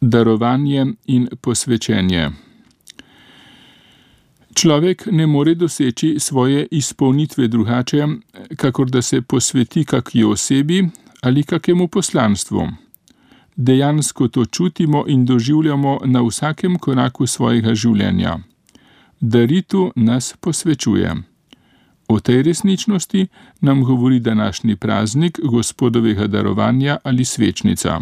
Darovanje in posvečenje. Človek ne more doseči svoje izpolnitve drugače, kakor da se posveti kakšni osebi ali kakemu poslanstvu. Dejansko to čutimo in doživljamo na vsakem koraku svojega življenja. Daritu nas posvečuje. O tej resničnosti nam govori današnji praznik Gospodovega darovanja ali svečnica.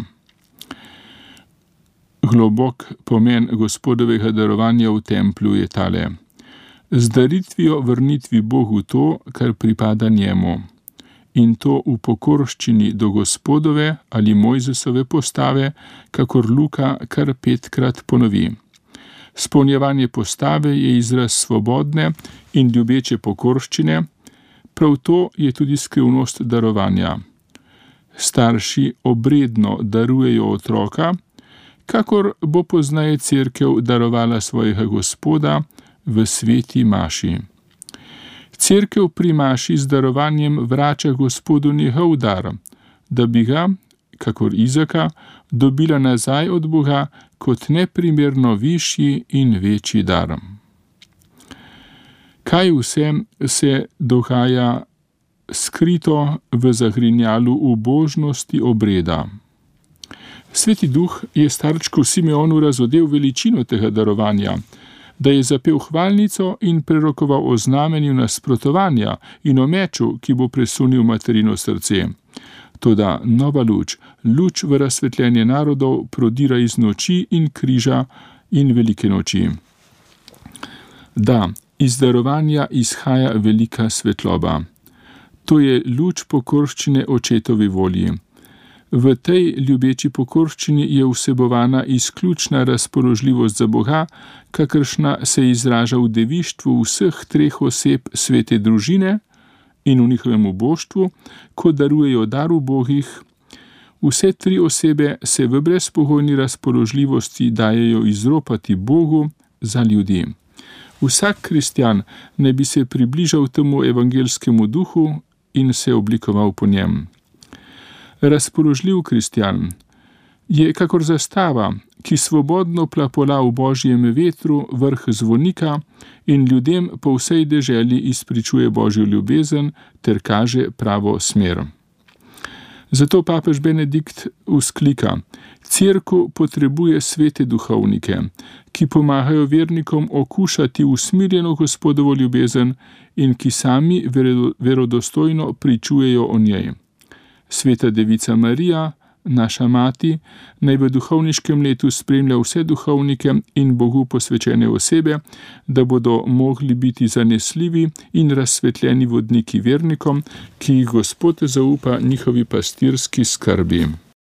Globok pomen Gospodovega darovanja v templju je tale: z daritvijo vrnitvi Bogu to, kar pripada njemu, in to v pokorščini do Gospodove ali Mojzesove postave, kakor Luka kar 5-krat ponovi. Spolnjevanje postave je izraz svobodne in ljubeče pokorščine, prav to je tudi skrivnost darovanja. Starši obredno darujejo otroka, kakor bo pozneje cerkev darovala svojega Gospoda v sveti maši. Cerkev pri maši z darovanjem vrača Gospodu njegov dar, da bi ga, kakor Izaka, dobila nazaj od Boga kot neprimerno višji in večji dar. Kaj vse se dogaja skrito v zagrinjalu ubožnosti obreda? Sveti Duh je starčku Simeonu razodel veličino tega darovanja, da je zapel hvalnico in prerokoval o znamenju nasprotovanja in o meču, ki bo presunil materino srce. Toda nova luč, luč v razsvetljenje narodov, prodira iz noči in križa in velike noči. Da, iz darovanja izhaja velika svetloba. To je luč pokorščine očetovi volji. V tej ljubeči pokorščini je vsebovana izključna razpoložljivost za Boga, kakršna se izraža v devištvu vseh 3 oseb svete družine in v njihovem uboštvu, ko darujejo dar ubogih. Vse 3 osebe se v brezpogojni razpoložljivosti dajejo izropati Bogu za ljudi. Vsak kristjan naj bi se približal temu evangelskemu duhu in se oblikoval po njem. Razpoložljiv kristjan je kakor zastava, ki svobodno plapola v božjem vetru vrh zvonika in ljudem po vsej deželi izpričuje božjo ljubezen ter kaže pravo smer. Zato papež Benedikt vzklika: Cerkev potrebuje svete duhovnike, ki pomagajo vernikom okušati usmirjeno Gospodovo ljubezen in ki sami verodostojno pričujejo o njej. Sveta Devica Marija, naša mati, naj v duhovniškem letu spremlja vse duhovnike in Bogu posvečene osebe, da bodo mogli biti zanesljivi in razsvetljeni vodniki vernikom, ki jih Gospod zaupa njihovi pastirski skrbi.